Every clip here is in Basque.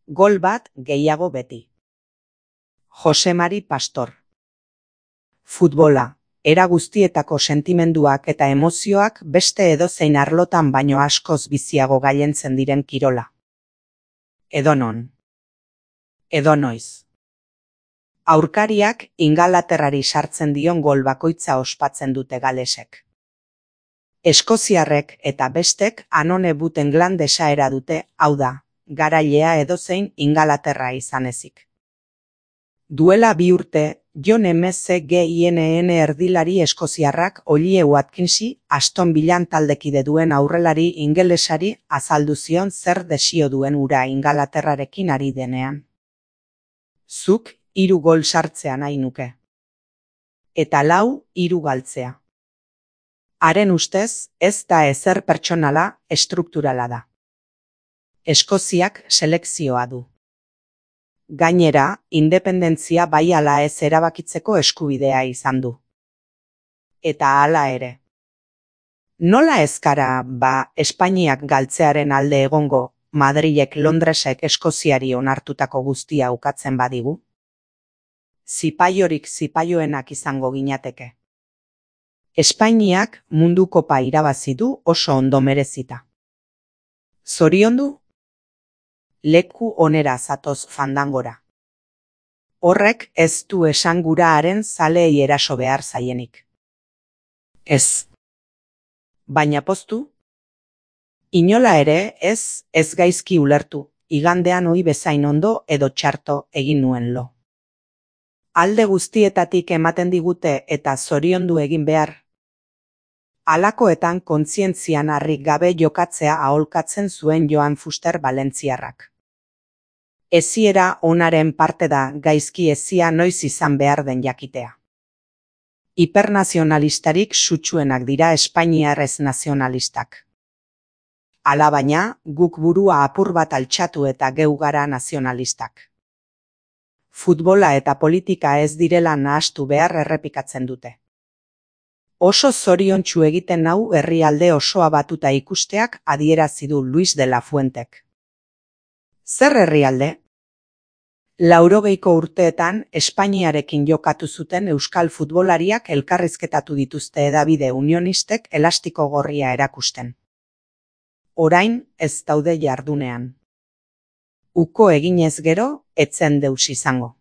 Gol bat gehiago beti. Jose Mari Pastor. Futbola, era guztietako sentimenduak eta emozioak beste edozein arlotan baino askoz biziago gailentzen diren kirola. Edonon. Edonoiz. Aurkariak Ingalaterrari sartzen dion gol bakoitza ospatzen dute galesek. Eskoziarrek eta bestek Anone Buten Glan desaera dute, hau da, garailea edozein Ingalaterra izan ezik. Duela 2 urte, John McGinn erdilari eskoziarrak Ollie Watkinsi Aston Villan taldekide duen aurrelari ingelesari azaldu zion zer desio duen ura Ingalaterrarekin ari denean. Zuk 3 gol sartzea nahi nuke. Eta 4 3 galtzea. Haren ustez, ez da ezer pertsonala, estrukturala da. Eskoziak selekzioa du. Gainera, independentzia bai ala ez erabakitzeko eskubidea izan du. Eta hala ere. Nola ez gara, Espainiak galtzearen alde egongo, Madrilek Londresek Eskoziari onartutako guztia ukatzen badigu? Zipaiorik zipaioenak izango ginateke. Espainiak mundu kopa irabazi du oso ondo merezita. Zoriondu? Leku onera zatoz fandangora. Horrek ez du esan gura haren zaleei eraso behar zaienik. Ez. Baina poztu? Inola ere ez gaizki ulertu, igandean ohi bezain ondo edo txarto egin nuen lo. Alde guztietatik ematen digute eta zoriondu egin behar. Halakoetan kontzientzian harrik gabe jokatzea aholkatzen zuen Joan Fuster Valentziarrak. Eziera onaren parte da gaizki ezia noiz izan behar den jakitea. Hipernazionalistarik sutsuenak dira espainiar ez nazionalistak. Alabaina, guk burua apur bat altxatu eta geu gara nazionalistak. Futbola eta politika ez direla nahastu behar errepikatzen dute. Oso zoriontsu egiten nau herrialde osoa batuta ikusteak adierazi du Luis de la Fuentek. Zer herrialde? 80ko urteetan Espainiarekin jokatu zuten euskal futbolariak elkarrizketatu dituzte hedabide unionistek elastiko gorria erakusten. Orain ez daude jardunean. Uko eginez gero, etzen deus izango.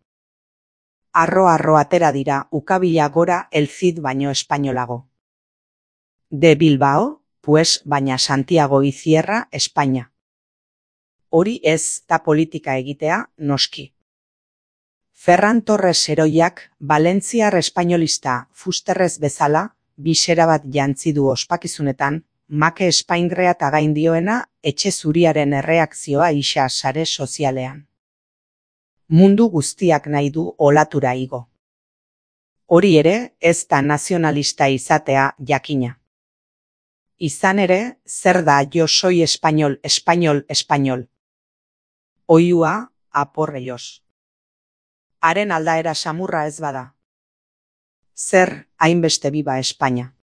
Arro atera dira ukabila gora el Cid baino espainolago. De Bilbao, pues baina Santiago y Sierra, España. Hori ez da politika egitea, noski. Ferran Torres heroiak, valentziar espainolista Fusterrez bezala, bisera bat jantzi du ospakizunetan, make espaingrea eta gaindioena etxe zuriaren erreakzioa isa sare sozialean. Mundu guztiak nahi du olatura igo. Hori ere, ez da nazionalista izatea jakina. Izan ere, zer da yo soy español, español, español. Oiua, aporrellos. Haren aldaera samurra ez bada. Zer hainbeste biba Espainia.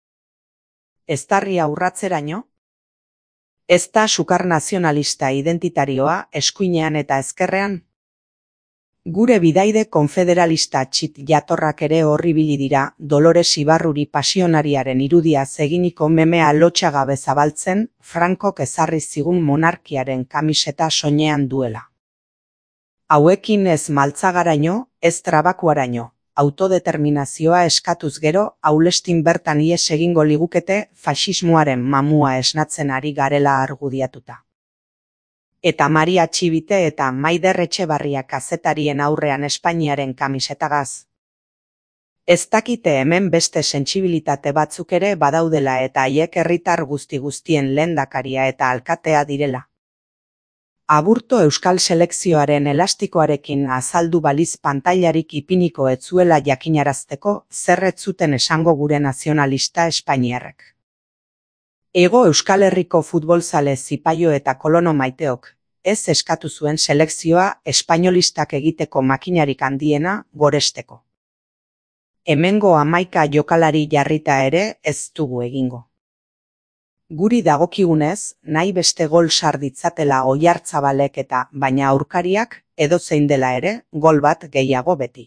Eztarria urratzeraino? Ez da sukar nazionalista identitarioa eskuinean eta ezkerrean? Gure bidaide konfederalista txit jatorrak ere horribili dira Dolores Ibarruri pasionariaren irudia eginiko memea lotxagabe zabaltzen Frankok ezarri zigun monarkiaren kamiseta soinean duela. Hauekin ez maltzagaraino, ez trabakuaraino, autodeterminazioa eskatuz gero aulestin bertan ies egingo ligukete faxismoaren mamua esnatzen ari garela argudiatuta. Eta Maria Txibite eta Maider Etxebarria kazetarien aurrean Espainiaren kamisetagaz. Ez dakite hemen beste sentsibilitate batzuk ere badaudela eta haiek herritar guztien lehendakaria eta alkatea direla. Aburto euskal selekzioaren elastikoarekin azaldu baliz pantailarik ipiniko ez zuela jakinarazteko zer ez zuten esango gure nazionalista espainiarrek. Ego Euskal Herriko futbolzale zipaio eta kolono maiteok, ez eskatu zuen selekzioa espainolistak egiteko makinarik handiena goresteko. Hemengo 11 jokalari jarrita ere ez dugu egingo. Guri dagokigunez, nahi beste gol sar ditzatela Oiartzabalek eta baina aurkariak edozein dela ere, gol bat gehiago beti.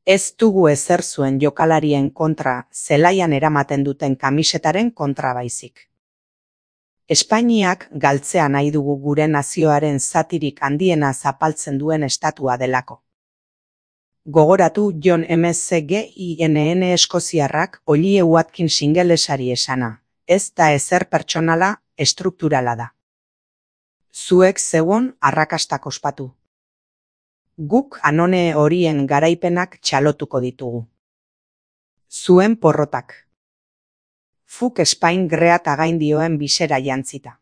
Ez dugu ezer zuen jokalarien kontra zelaian eramaten duten kamisetaren kontra baizik. Espainiak galtzea nahi dugu gure nazioaren zatirik handiena zapaltzen duen estatua delako. Gogoratu John McGinn eskoziarrak Ollie Watkins ingelesari esana, ez da ezer pertsonala, estrukturala da. Zuek zeuon arrakastak ospatu. Guk anone horien garaipenak txalotuko ditugu. Zuen porrotak. Fuk Spain great againdioen bisera jantzita.